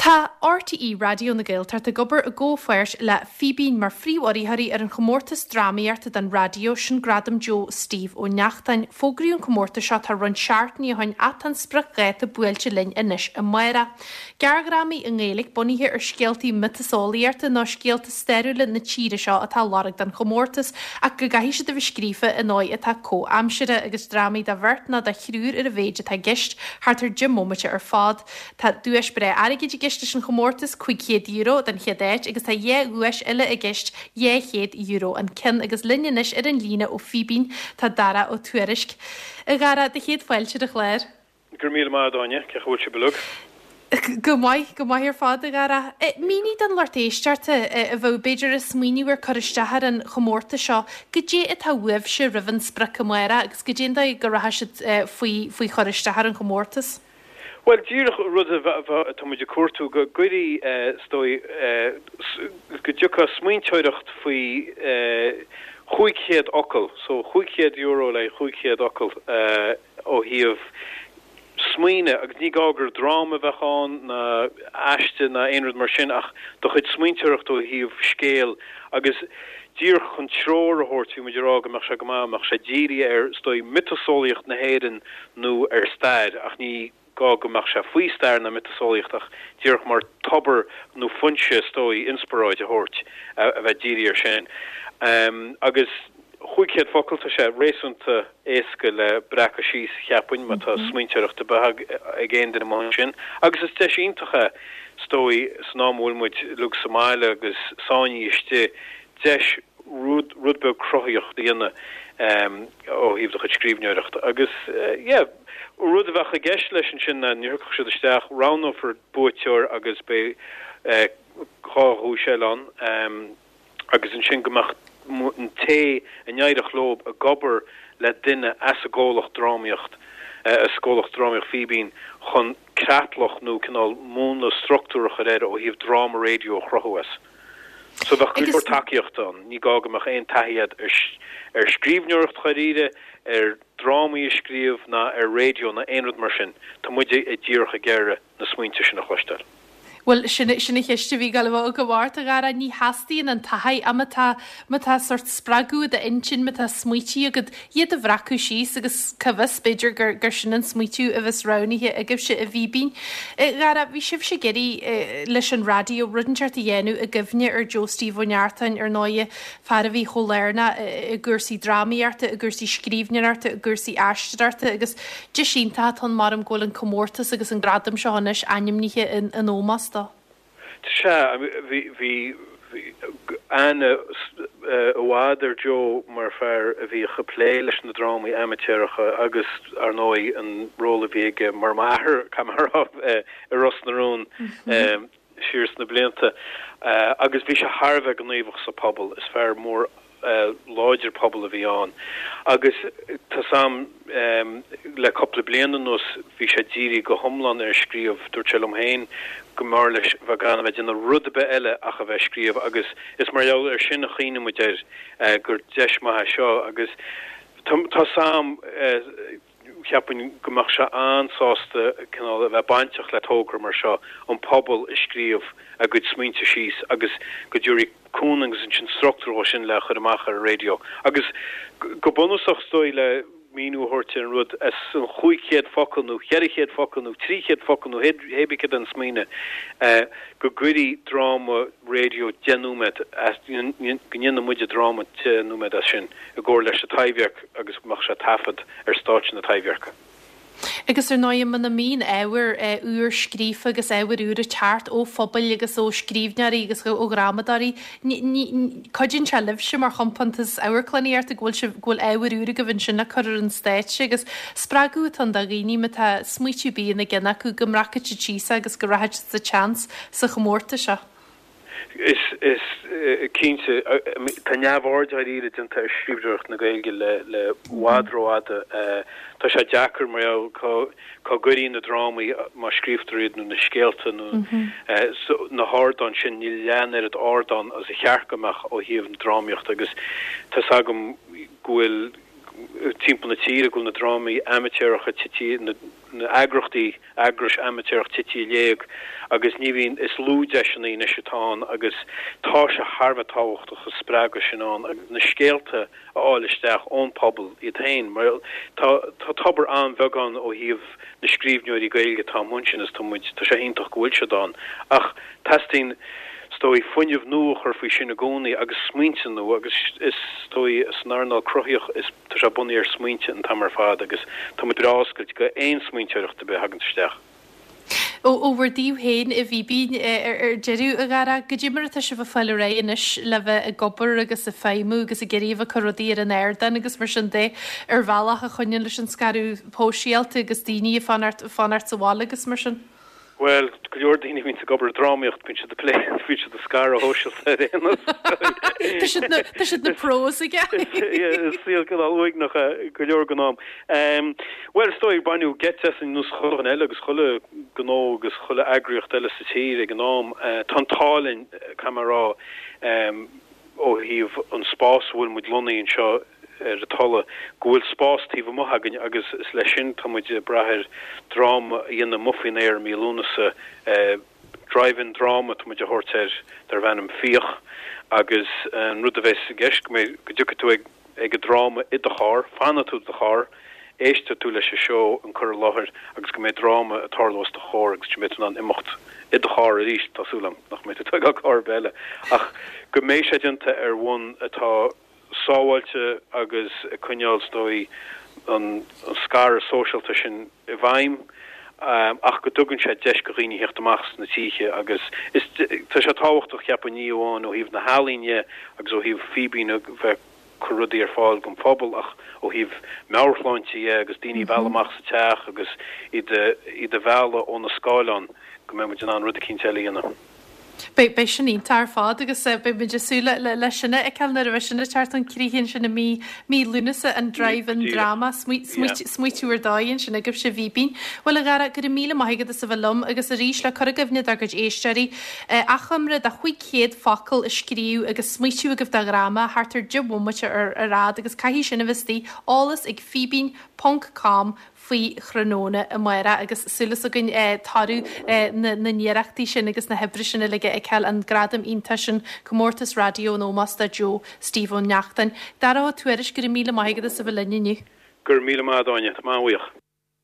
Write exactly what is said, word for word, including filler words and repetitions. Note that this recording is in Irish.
Tá RTÉ Raidió na Gaeltachta ag obair i gcomhpháirt le Fíbín mar phríomhurraitheoirí ar an chomórtas drámaíochta don raidió sin Gradam Joe Steve Ó Neachtain. Fógraíodh an comórtas seo tá roinnt seachtainí ó shin ach tá an spriocdháta buailte linn anois amárach. Gearrdhrámaí i nGaeilge bunaithe ar scéaltaí miotaseolaíochta nó scéalta stairiúla na tíre seo atá á lorg don chomórtas ach go gcaithfidh siad a bheith scríofa i ndóigh atá comhaimseartha agus drámaí do bheirt nó do thriúr ar a mhéid atá i gceist thart ar deich mbomaite ar fad. Tá duais breá airgid i gceist leis an chomórtas cúig chéad euro don chéad áit agus tá dhá dhuais eile i gceist dhá chéad euro an ceann agus linn anois ar an líne ó Fíbín tá Dara Ó Tuairisg. A Dhara do chéad fáilte ar an chlár. Go raibh míle maith agat Áine, cén chaoi a bhfuil sibh uilig. Go maith, go maith ar fad a Dhara. Mínigh don lucht éisteachta a bheadh b'fhéidir ag smaoineamh ar cur isteach ar an chomórtas seo, goidé atá uaibhse roimh an sprioc amárach agus goidé an dóigh go rachaidh siad faoi faoi chur isteach ar an chomórtas. Bhuel, díreach rud a tá muid ag cuartú go gcuirí is dóigh go dtiocfadh smaointeoireacht faoi chúig chéad fhocal, so chúig chéad euro le chúig chéad fhocal ó thaobh smaoine agus ní gá gur dráma a bheadh ann ná aiste ná aon rud mar sin ach do chuid smaointeoireacht ó thaobh scéil agus díreach chun treoir a thabhairt bhí muid ag rá go mbeadh sé go maith, mbeadh sé dírithe ar is dóigh miotaseolaíocht na hÉireann nó ar stair ach ní gá go mbeadh sé faoi stair ná miotaseolaíocht ach díreach mar tobar nó foinse is dóigh inspioráid a thabhairt a bheith dírithe air sin. Agus chúig chéad focal, tá sé réasúnta éasca le breacadh síos, cheapfainn, má tá smaointeoireacht ar bith ag aon duine amuigh ansin. Agus is deis iontach é, is dóigh, san am a bhfuil muid uilig sa mbaile agus sáinnithe istigh, deis rud rud beag cruthaíocht a dhéanamh ó thaobh do chuid scríbhneoireachta. Agus yeah, rud a bheadh i gceist leis ansin ná ní thiocfadh siad isteach, roghnófar buaiteoir agus beidh dhá dhuais eile ann agus ansin go mbeadh an té a n-éireodh leo ag obair le duine as an gcomhlacht drámaíocht, as comhlacht drámaíocht Fíbín chun creatlach nó cineál múnla struchtúr a chur air ó thaobh dráma raidió a chruthú as. So bheadh go leor tacaíochta ann. Ní gá go mbeadh aon taithí agat ar scríbhneoireacht dháiríre, ar drámaí a scríobh ná ar raidió ná aon rud mar sin. Tá muid díreach ag iarraidh na smaointe sin a chloisteáil. Bhuel, sin sin an cheist a bhí ag gabháil a bheith agam ort, a Dhara. Ní theastaíonn an taithí ach má tá má tá sórt spreagadh i d'intinn, má tá smaoití agat, iad a bhreacadh síos agus cá bhfios, b'fhéidir gur gur sin an smaoitiú a bheas roghnaithe agaibhse i bhFíbín. A Dhara, bhí sibhse ag iarraidh leis an raidió rud inteacht a dhéanamh i gcuimhne ar Joe Steve Ó Neachtain, ar ndóighe, fear a bhí chomh lárnach i gcúrsaí drámaíochta, i gcúrsaí scríbhneoireachta, i gcúrsaí aisteoireachta agus deis iontach atá ann mar go bhfuil an comórtas agus an gradam seo anois ainmnithe in in ómós dó. Sea, bhí bhí aithne i bhfad ar Joe mar fear a bhíodh ag plé leis na drámaí amaitéaracha agus ar ndóigh an ról a bhí aige mar m'athair, caithfidh mé a rá, i Ros na Rún. siar sna blianta agus bhí sé thar a bheith gníomhach sa phobal. Is fear mór láidir pobail a bhí ann agus tá's a'm le cúpla bliain anuas bhí sé dírithe go hiomlán ar an scríobh. Dúirt sé liom féin go mb'fhearr leis bheith gan a bheith ag déanamh rud ar bith eile ach a bheith ag scríobh agus is mar gheall ar sin a chuimhnigh muid air gur deis maith é seo agus tá's a'm Cheapfainn go mbeadh sé an-sásta cineál a bheith bainteach le togra mar seo, an pobal ag scríobh a gcuid smaointe síos agus go dtabharfaí cúnamh agus ansin struchtúr dhó sin le chur amach ar an raidió. Agus go bunúsach is dóigh le míniú a thabhairt ar an rud, as an chúig chéad focal nó cheithre chéad focal nó trí chéad focal nó hé bith céard é an smaoineamh, go gcuirí dráma raidió deich nóiméad as, go ndéanfaidh muide dráma deich nóiméad as sin i gcomhar leis an Taibhdhearc. agus go mbeadh sé taifead ar stáitse na Taibhdheirce. Agus ar ndóigh, muna mbíonn ábhar úr scríofa agus ábhar úr ag teacht ó phobail agus ó scríbhneoirí agus ó dhrámadóirí, cuidíonn sé libhse mar chompántas amharclannaíochta go bhfuil sibh, go bhfuil ábhar úr agaibh ansin le cur ar an stáitse agus spreagadh atá ann do dhaoine má tá smaoitiú ar bith ina gceann acu go mbreacfaidh siad síos é agus go rachaidh siad sa tseans sa chomórtas seo. Is, is cinnte, tá neamhaird dháiríre déanta ar scríbhneoireacht na Gaeilge le, le i bhfad rófhada. Tá sé deacair mar gheall cá, cá gcuirí na drámaí má scríobhtar iad nó na scéalta nó na hardáin sin, níl leath an oiread ardán as a cheart go mbeadh ó thaobh na drámaíochta agus tá's agam go bhfuil timpeall na tíre go bhfuil na drámaí amaitéaracha tite, na, na eagrachtaí, eagrais amaitéarach tite i léig agus ní bhíonn, is lú deiseanna anois atá ann agus tá sé thar a bheith tábhachtach an spreagadh sin ann agus na scéalta a fháil isteach ón pobal iad féin mar tá tá tobar an-bheag ann ó thaobh na scríbhneoirí Gaeilge atá amuigh ansin is tá muid tá sé iontach go bhfuil siad ann ach teastaíonn is dóigh fuinneamh nua a chur faoi sin i gcónaí agus smaointe nua agus is dóigh san earnáil cruthaitheach is tá sé bunaithe ar smaointe an t-am ar fad agus tá muid breá oscailte go aon smaointeoireacht ar bith a thagann isteach. Ó bhur dtaobh féin i bhFíbín ar deireadh, a Dhara, goidé mar atá sibh ag fáil ar aghaidh anois le bheith ag obair agus ag feidhmiú agus ag iarraidh a bheith ag cur rudaí ar an ardán agus mar sin de ar bhealach a choinníonn leis an scaradh shóisialta agus daoine ag fanacht fanacht sa bhaile agus mar sin? Bhuel, go leor daoine a bhíonns ag obair drámaíocht, bíonn siad ag plé, bíonn siad ag scaradh shóisialta ar aon nós. Tá siad na, tá siad na pros aige. Is saol cineál uaigneach é go leor den am. Bhuel, is dóigh, baineadh geit asainn ar nós chuile dhuine eile agus chuile ghnó agus chuile eagraíocht eile sa tír ag an am. Tá an t-ádh linn, caithfidh mé a rá, ó thaobh an spás a bhfuil muid lonnaithe anseo ar an Tulaigh, go bhfuil spás taobh amuigh againn agus is leis sin tá muid ag brath ar dráma a dhéanamh amuigh faoin aer i mí Lúnasa. Drive-in dráma atá muid a thabhairt air darb ainm Fiach agus an rud a bheas i gceist go mbeidh, go dtiocfaidh tú ag ag an dráma i do charr, fanfaidh tú i do charr, éistfidh tú leis an seó, an cur i láthair agus go mbeidh dráma ag tarlú os do chomhair agus go mbeidh tú in ann imeacht i do charr arís, tá súil agam nach mbeidh tú ag tógáil carr ar bith eile, ach go mbeidh sé déanta ar bhonn atá sábháilte agus ag coinneáil, is dóigh, an scaradh sóisialta sin i bhfeidhm ach go dtugann sé deis go dhaoine theacht amach as na tithe agus is tá sé tábhachtach, cheapfainn, ní amháin ó thaobh na healaíne agus ó thaobh Fíbín a bheith ag cur rudaí ar fáil don phobal ach ó thaobh meabhairshláinte dhe agus daoine a mhealladh amach sa teach agus iad iad a mhealladh ó na scáileáin go mbeidh muid in ann rud eicínt eile a dhéanamh. Beidh, beidh sin iontach ar fad agus beidh muid ag súil le, le sin a fheiceáil nuair a bheidh sin ag teacht chun críche ansin i mí, mí Lúnasa, an Drive-In Drama, smaoitiú ar dóigh ansin agaibhse i bhFíbín. Bhuel a Dhara, go raibh míle maith agat as a bheith liom agus arís le cur i gcuimhne dár gcuid éisteoirí, achoimre de chúig chéad focal a scríobh agus smaoitiú agaibh do dhráma thart ar deich bhomaite ar ar fhad agus caithfidh sin a bheith istigh, eolas ag fíbín ponc com faoi thráthnóna amárach agus súil againn toradh na n-iarrachtaí sin agus na hoibre sin uilig a fheiceáil, an gradam iontach sin, Comórtas Raidió in ómós do Joe Steve Ó Neachtain. Dara Ó Tuairisg, go raibh míle maith agat as a bheith linn inniu. Go raibh míle maith agat, Áine. Tá mé an-bhuíoch.